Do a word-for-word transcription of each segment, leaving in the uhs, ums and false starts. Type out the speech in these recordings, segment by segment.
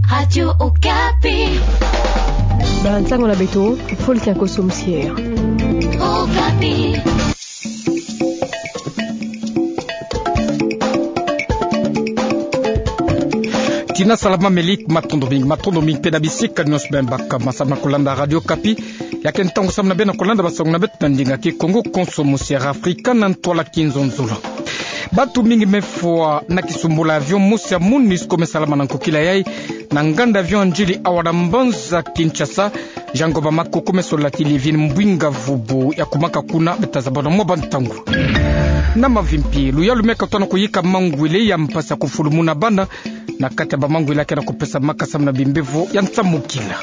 Radio Okapi. Ba ntangu na beto, fulu kia nkoso mosier. Okapi. Tina salama, meli matondo mingi, matondo mingi mpe na bisika nyonso beno baka ma samu na kolanda Radio Okapi. Ya ke ntangu samu na beno kolanda bansangu na beto na ndinga Kikongo, nkoso mosier Afrika na ntwala kinzonzolo. Bato mingi me fwa na kisumbula avion mosi ya MONUSCO me salama na nkokila yai na nganda avion ya Ndjili awa na mbanza Kinshasa. Jean Ngoma Makoko me sola ti Livine Mbwinga Vubu ya kumaka kuna, beta zabana mwa bantangu. Na mavimpi, luyalu me katona kuyika mangwele ya mpasi ya kufulumuna bana na kati ya bamangwele ya ke na kupesamaka samu na bimbevo ya nsamukila.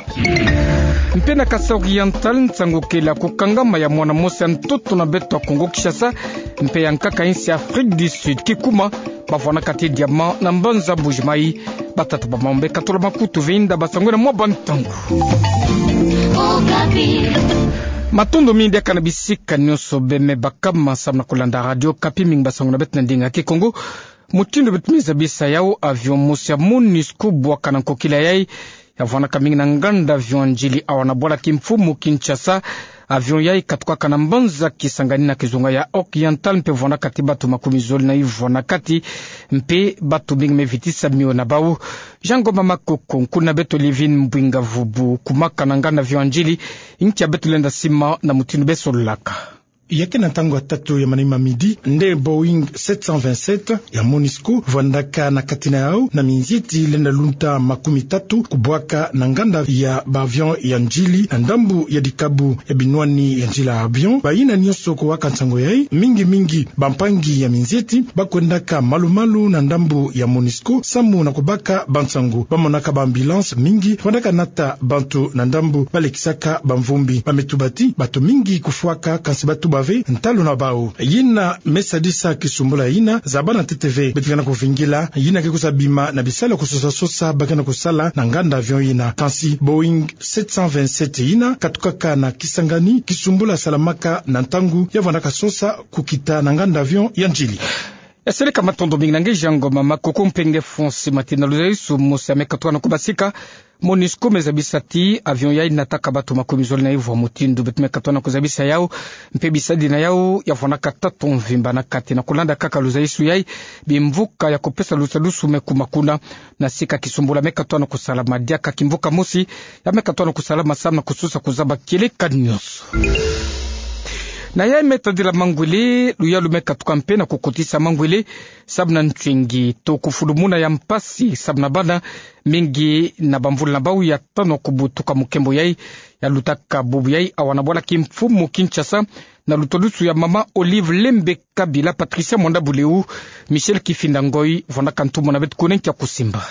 Mpe na Kasaï Oriental, nsangu kele ya kukangama ya mwana mosi ya ntoto na beto ya Kongo Kinshasa mpe ya nkaka ya insi ya Afrique du Sud, kikuma bavwanaka ti diamant na mbanza Mbuji-Mayi. Batata bamama me katula makutu ve inda bansangu na mwa bantangu. Okapi. Matondo mingi diaka na bisika nyonso beno me baka ma samu na kolanda Radio Okapi, mingi bansangu na beto na ndinga Kikongo. Mutindu beto me zabisa yau, avion mosi ya MONUSCO bwaka na nkokila yai ya vwanaka mingi na nganda avion ya Ndjili awa na bwala kimfumu Kinshasa. Avion yai katukaka na mbanza Kisangani na kizunga ya Oriental mpe vwanaka ti bato makumi zole na ivwa na kati, mpe bato mingi me vitisa mio na bau. Jean Ngoma Makoko, nkuna beto Livine Mbwinga Vubu kumaka na nganda avion ya Ndjili, nkia beto lenda sima na mutindu be sololaka. Ya ke na ntangu ya tatu ya manima midi, nde Boeing sept cent vingt-sept ya MONUSCO vwandaka na kati na yau na minzieti lenda lunta makumi tatu kubwaka na nganda ya ba avion ya Ndjili na ndambu ya dikabu ya binwani ya nzila avion. Bayina nyonso kuwaka nsangu yai, mingi mingi bampangi ya minzieti, bakwendaka malu-malu na ndambu ya MONUSCO samu na kubaka bansangu. Bamonaka ba ambulance mingi vwandaka nata bantu na ndambu, balekisaka bamvumbi. Ba me tuba ti bato mingi kufwaka, kansi batuba ve ntalu na bau. Yina me sadisa kisumbula yina, zabana ntete ve. Beto ke na kuvingila yina ke kwiza bima na bisalu ya kusosa-sosa ba ke na kusala na nganda avion yina. Kansi Boeing sept cent vingt-sept yina katukaka na Kisangani, kisumbula salamaka na ntangu ya vwandaka sosa kukita na nganda avion ya Ndjili. Eseleka, matondo mingi na nge Jean Ngoma Makoko. Mpe nge Fonsi Matina, luzaisu mosi ya me katuka na kubasika. MONUSCO me zabisa ti avion yai nataka bato makumi zole na ivwa. Mutindu beto me katuka na kuzabisa yau, mpe bisadi na yau ya vwanaka tatu mvimba na kati. Na kulanda kaka luzaisu yai, bimvuka ya kupesa lusadusu me kuma kuna. Na sika kisumbula me katuka na kusalama diaka, kimvuka mosi ya me katuka na kusalama samu na kusosa kuzaba kieleka nyonso. Na yai me tadila mangwele, luyalu me katuka mpe na kukotisa mangwele samu na ntwengi to kufulumuna ya mpasi samu na bana. Mingi na bamvula na bau ya tano kubutuka mu nkembo yai ya lutaka bubu yai awa na bwala kimfumu Kinshasa, na lutodusu ya mama Olive Lembe Kabila. Patricia Mwanda Buleu, Michel Kifinda Ngoi, vwandaka ntumwa na beto kuna nkia kusimba.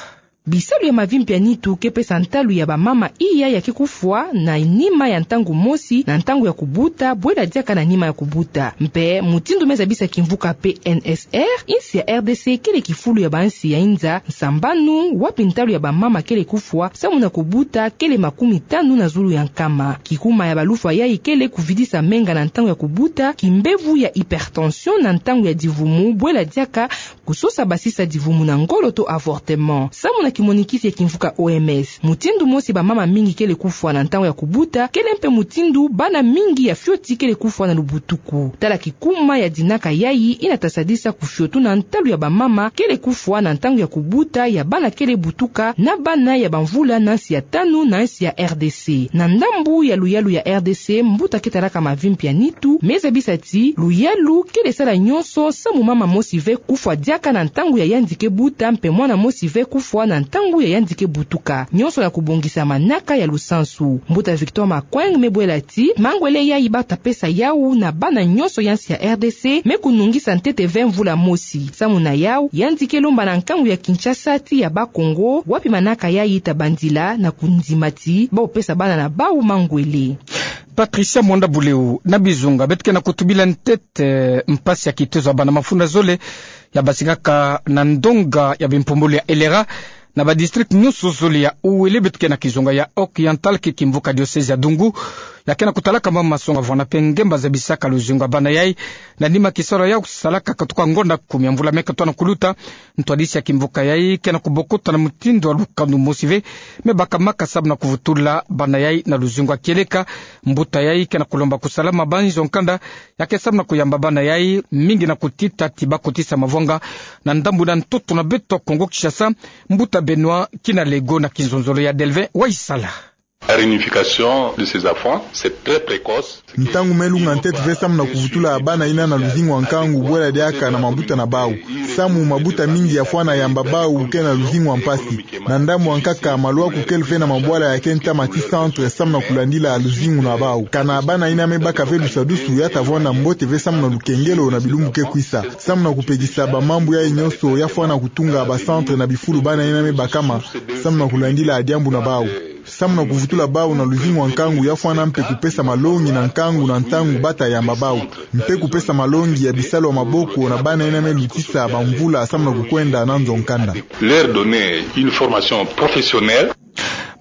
Bisalu ya mavimpi ya nitu ke pesa ntalu ya bamama iya ya ke kufwa na nima ya ntangu mosi na ntangu ya kubuta, bwela diaka na nima ya kubuta. Mpe mutindu me zabisa kimvuka P N S R, insi ya R D C kele kifulu ya bansi ya inza nsambanu wapi ntalu ya bamama kele kufwa samu na kubuta kele makumi tanu na zulu ya nkama. Kikuma ya balufwa yai kele kuvidisa menga na ntangu ya kubuta, kimbevu ya hypertension na ntangu ya divumu, bwela diaka kusosa basisa divumu na ngolo to avortement. Samu na kimonikisi ya kimvuka O M S, mutindu mosi bamama mingi kele kufwa na ntangu ya kubuta, kele mpe mutindu bana mingi ya fioti kele kufwa na lubutuku. Tala kikuma ya dinaka yai ina ta sadisa kufiotuna ntalu ya bamama kele kufwa na ntangu ya kubuta, ya bana kele butuka na bana ya bamvula na nsi ya tanu na nsi ya R D C. Na ndambu ya luyalu ya R D C, mbuta ke talaka mavimpi ya nitu me zabisa ti luyalu kele sala nyonso samu mama mosi ve kufwa diaka na ntangu ya yandi ke buta, mpe mwana mosi ve kufwa na ntangu ya yandi ke butuka. Nyonso na kubongisa manaka ya lusansu. Mbuta Victor Makweng me bwela ti mangwele yai ba ta pesa yau na bana nyonso ya nsi ya R D C me kunungisa ntete ve mvula mosi. Samu na yau, yandi ke lomba na nkangu ya Kinshasa ti ya Bakongo, wapi manaka yai ta bandila na kundima ti ba pesa bana na bau mangwele. Patricia Mwanda Buleu. Na bizunga, beto ke na kutubila ntete mpasi ya kitezo ya bana mafunda zole ya basingaka na ndonga ya bimpumbulu ya Elera na badistrict nyonso zole ya Uele, beto ke na kizunga ya Oriental, ke kimvuka diocèse ya Dungu. ya ke na kutalaka mama songa vwena pe ngemba zabisaka luzingu ya bana yai. Na nima kisalu yau salaka katuka ngonda kumi ya mvula me katoa na kuluta, ntwadisi ya kimvuka yai ke na kubokuta na mutindu ya lukanu mosi ve me bakamaka sababu na kuvutula bana yai na luzingu ya kieleka. Mbuta yai ke na kulomba kusalama banzo nkanda ya ke sababu na kuyamba bana yai mingi na kutita ti bakotisa mavwanga na ndambu na ntoto na beto Kongo Kinshasa. Mbuta Benoît Kinalego na kinzonzolo ya Delvin Waisala. La réunification de ces enfants, c'est très précoce. Ntangu me lunga ntete ve samu na kuvutula bana ina na luzingu ya nkangu, bwela diaka na mabuta na bau. Samu mabuta mingi ya fwana yamba bau ke na luzingu ya mpasi. Na ndambu ya nkaka, maluaku kele ve na mabwala ya ke ntama ti centre samu na kulandila luzingu na bau. Kana bana ina me baka ve lusadusu, ya ta vwanda mbote ve samu na lukengelo na bilumbu ke kwisa. Samu na kupekisa bamambu yai nyonso, ya fwana kutunga ba centre na bifulu bana ina me bakama samu na kulandila diambu na bau. Samu na kuvutula bau na luzingu ya nkangu, ya fwana mpe kupesa malongi na nkangu na ntangu ba ta yamba bau, mpe kupesa malongi ya bisalu ya maboko na bana ina me lutisa bamvula samu na kukwenda na nzo nkanda. Leur donner une formation professionnelle.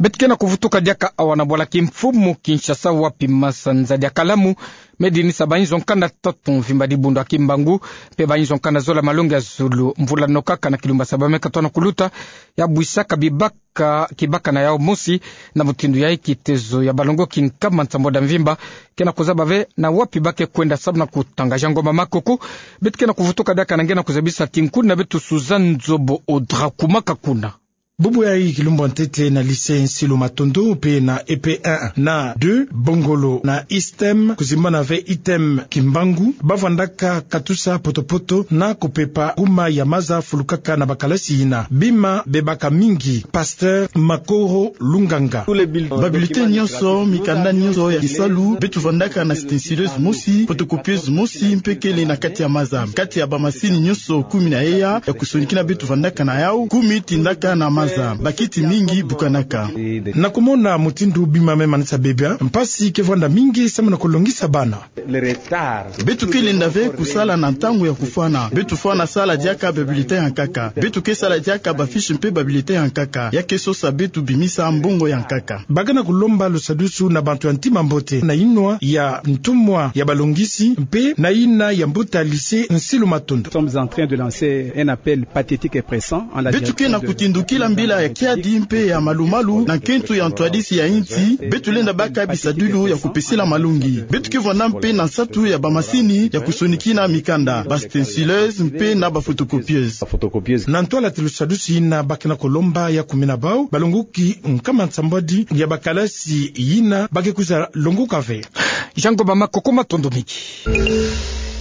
Beto ke na kuvutuka diaka awa na bwala kimfumu Kinshasa, wapi masanza dia kalamu me dinisa banzo nkanda tatu mvimba dibundu ya Kimbangu mpe banzo nkanda zola malongi ya zulu mvula nokaka na kilumbu ya saba me katoa na kuluta, ya bwisaka bibaka kibaka na yau mosi. Na mutindu yai kitezo ya balongoki nkama nsambwadi ya mvimba ke na kuzaba ve na wapi ba ke kwenda samu na kutanga. Jean Ngoma Makoko. Beto ke na kuvutuka diaka na nge na kuzabisa tinkuni na beto Suzanne Nzobo Audra, kumaka kuna. Bubu yai kilumbu ya ntete na lycée Nsilu Matondo mpe na E P un na deux, Bongolo na ISTEM, kuzimbana ve ITEM Kimbangu, ba vwandaka katusa poto-poto na kupepa kuma ya maza fulukaka na bakalasi ina. Bima bebaka mingi. Pasteur Makoro Lunganga. Ba bulletin nyonso, mikanda nyonso ya kisalu, beto vwandaka na stencileuse mosi, photocopieuse mosi, mpe kele na kati ya maza. Kati ya bamasini nyonso kumi na eya ya kusonikina beto vwandaka na yau, kumi tindaka na maza. Bakiti mingi bukanaka. Na kumona mutindu bima me manisa bebia, mpasi ke vwanda mingi samu na kulongisa bana. Beto ke lenda ve kusala na ntangu ya kufwana. Beto fwana sala diaka ba bulletin ya nkaka. Beto ke sala diaka ba fiche mpe ba bulletin ya nkaka. Ya ke sosa beto bimisa mbongo ya nkaka. Ba ke na kulomba lusadusu na bantu ya ntima mbote, na yinwa ya ntumwa ya balongisi mpe na yina ya mbuta lycée Nsilu Matondo. Nous sommes en train de lancer un appel pathétique et pressant en la direction de... Beto ke na kutindukila mbila ya kiadi mpe ya malu-malu na nkento ya ntwadisi ya insi. Beto lenda baka bisadilu ya kupesila malongi. Beto ke vwanda mpe na nsatu ya bamasini ya kusonikina mikanda, ba stencileuse mpe na ba photocopieuse. Na ntwala ti lusadusu yina ba ke na kulomba ya kumina bau balongoki nkama nsambwadi ya bakalasi yina ba ke kwiza longoka ve. Jean Ngoma Makoko, matondo mingi.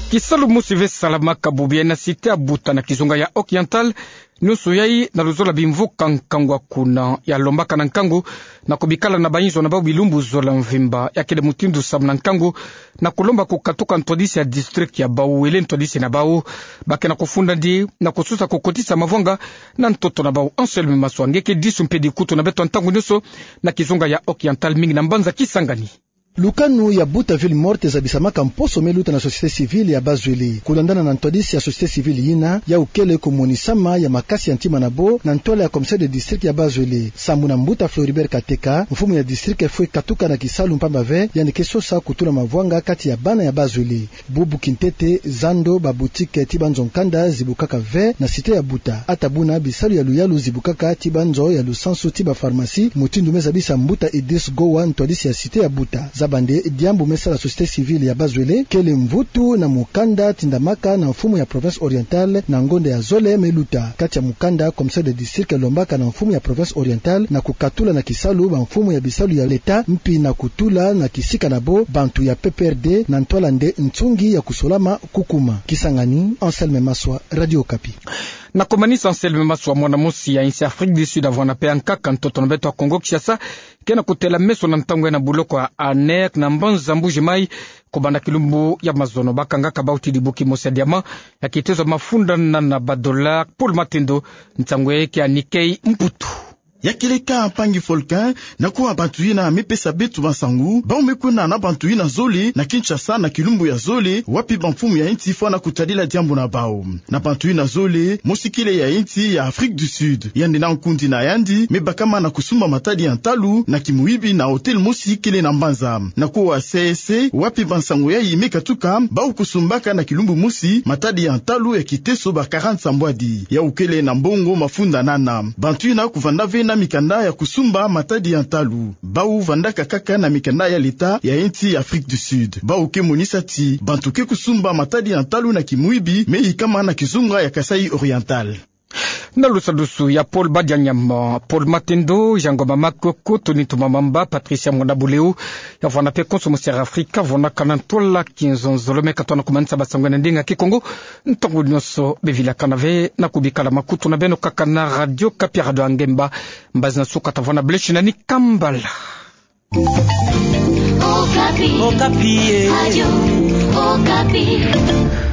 Kisalu mosi ve salamaka bubu yai na cité ya Buta na kizunga ya Occidental, nyonso yai na luzola bimvuka nkangu ya kuna, ya lombaka na nkangu na kubikala na banzo na bau bilumbu zola mvimba. Ya kele mutindu samu na nkangu na kulomba kukatuka ntwadisi ya district ya bau, wele ntwadisi na bau ba ke na kufunda ndi na kusosa kukotisa mavwanga na ntoto na bau. Anselme Maswa, nge ke disu mpe dikutu na beto ntangu nyonso na kizunga ya Occidental, mingi na mbanza Kisangani. Lukanu ya Buta Ville Morte zabisamaka mposo me luta na société civile ya Bas-Uele. Kulandana na ntwadisi ya société civile yina, yau kele kumonisama ya makasi ya ntima na bo na ntwala ya commissaire de district ya Bas-Uele. Sambu na mbuta Floribert Kateka, mfumu ya district fwe katuka na kisalu mpamba ve yandi ke sosa kutula mavwanga kati ya bana ya Bas-Uele. Bubu kintete, zando, ba boutique ti banzo nkanda zibukaka ve na cité ya Buta. Ata buna, bisalu ya luyalu zibukaka ti banzo ya lusansu ti ba pharmacie, mutindu me zabisa mbuta Idriss Gowa, ntwadisi ya cité ya Buta. Zaba nde diambu me sala société civile ya Bas-Uele kele mvutu na mukanda tindamaka na mfumu ya province orientale na ngonda ya zole me luta. Kati ya mukanda, commissaire de district lombaka na mfumu ya province orientale na kukatula na kisalu bamfumu ya bisalu ya l'État, mpi na kutula na kisika na bo bantu ya P P R D na ntwala nde nsungi ya kusolama kukuma. Kisangani, Anselme Maswa, Radio Okapi. Na kumanisa, Anselme Maswa, mwana mosi ya insi Afrique du Sud avwanda pe ya nkaka ntoto na beto ya Kongo Kinshasa, ke na kutela meso na ntangu yai na buloko ya Aner na mbanza Mbuji-Mayi, kubanda kilumbu ya mazono. Ba kangaka bau ti dibuki mosi ya diamant ya kitezo mafunda na, na ba dollars. Paul Matendo, nsangu yai ke ya Nikkei Mputu. Ya kele ka mpangi Volcan, na kuwa bantu yina mepesa beto bansangu, bau mekwenda na bantu yina zole na Kinshasa na kilumbu ya zole, wapi bamfumu ya nsi fwana kutadila diambu na bau. Na bantu yina zole, mosi kele ya nsi ya Afrique du Sud. Yandi na nkundi na yandi mebakama na kusumba matadi ya ntalu na kimuyibi na hôtel mosi kele na mbanza. Na kuwa C S C, wapi bansangu yayi mekatuka, bau kusumbaka na kilumbu mosi matadi ya ntalu ya kiteso ba quarante sambwadi. Yau kele na mbongo mafunda nana. Bantu yina kuvanda ve na mikanda ya kusumba matadi ya ntalu. Bau vandaka kaka na mikanda ya leta ya nsi ya Afrique du Sud. Bau ke monisa ti bantu ke kusumba matadi ya ntalu na kimuyibi meyikama na kizunga ya Kasaï Oriental. Na lusadusu ya Paul Badianyama, Paul Matendo, Jean Ngoma Makoko, Tony Ntumamamba, Patricia Mwana Buleu, ya vwana pe konso mosi ya Afrika, vwana kana ntwala kinzonzolo meka tona kumanisa bansangu na ndinga Kikongo. Ntangu nyonso bevilakana ve na kubikala makutu na beno kaka na Radio Okapi, Radio ya Ngemba. Mbazi na suka tavwana bleu shi nani kambala. Okapi. Okapi, eh. Radio Okapi.